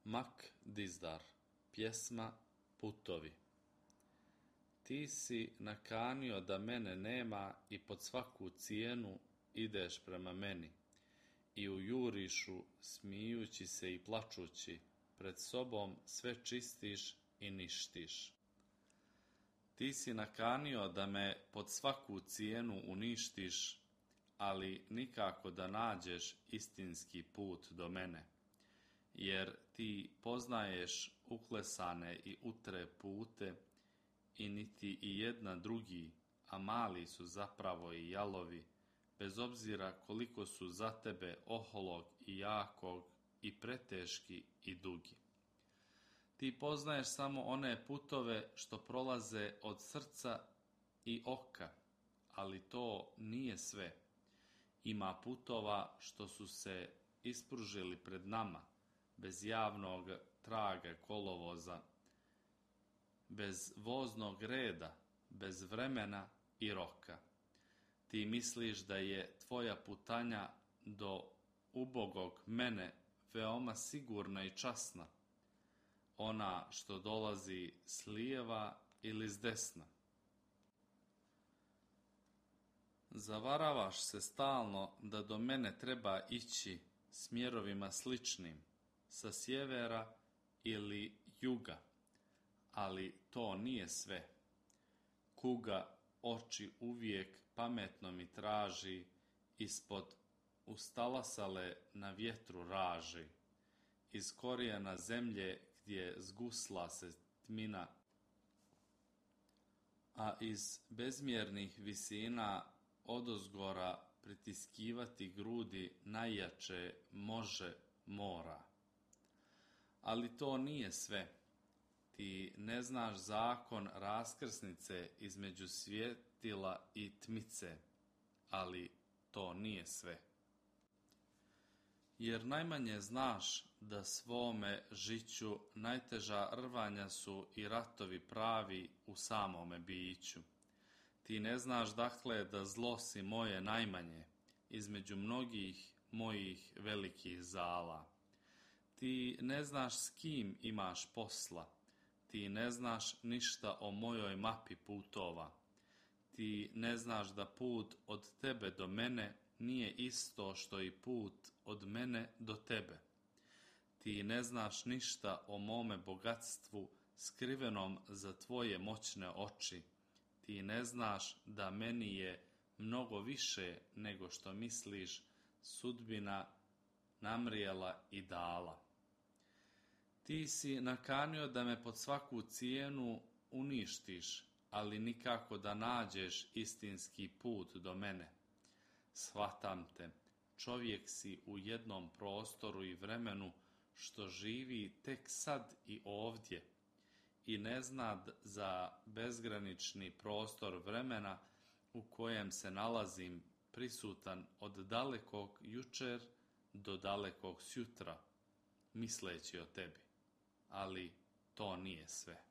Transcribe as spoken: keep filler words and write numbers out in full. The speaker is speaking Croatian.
Mak Dizdar, pjesma Putovi. Ti si nakanio da mene nema i pod svaku cijenu ideš prema meni i u jurišu, smijući se i plačući, pred sobom sve čistiš i ništiš. Ti si nakanio da me pod svaku cijenu uništiš, ali nikako da nađeš istinski put do mene, jer ti poznaješ uklesane i utre pute i niti i jedna drugi, a mali su zapravo i jalovi, bez obzira koliko su za tebe oholog i jakog i preteški i dugi. Ti poznaješ samo one putove što prolaze od srca i oka, ali to nije sve. Ima putova što su se ispružili pred nama, bez javnog traga kolovoza, bez voznog reda, bez vremena i roka. Ti misliš da je tvoja putanja do ubogog mene veoma sigurna i časna, ona što dolazi s lijeva ili s desna. Zavaravaš se stalno da do mene treba ići smjerovima sličnim, sa sjevera ili juga, ali to nije sve. Kuga oči uvijek pametno mi traži, ispod ustalasale na vjetru raži, iz korijena zemlje gdje zgusla se tmina, a iz bezmjernih visina odozgora pritiskivati grudi najjače može mora. Ali to nije sve. Ti ne znaš zakon raskrsnice između svjetila i tmice, ali to nije sve. Jer najmanje znaš da svome žiću najteža rvanja su i ratovi pravi u samome biću. Ti ne znaš dakle da zlo si moje najmanje između mnogih mojih velikih zala. Ti ne znaš s kim imaš posla, ti ne znaš ništa o mojoj mapi putova. Ti ne znaš da put od tebe do mene nije isto što i put od mene do tebe. Ti ne znaš ništa o mome bogatstvu skrivenom za tvoje moćne oči. Ti ne znaš da meni je mnogo više nego što misliš sudbina namrijela i dala. Ti si nakanio da me pod svaku cijenu uništiš, ali nikako da nađeš istinski put do mene. Shvatam te, čovjek si u jednom prostoru i vremenu što živi tek sad i ovdje i ne zna za bezgranični prostor vremena u kojem se nalazim prisutan od dalekog jučer do dalekog sjutra, misleći o tebi. Ali to nije sve.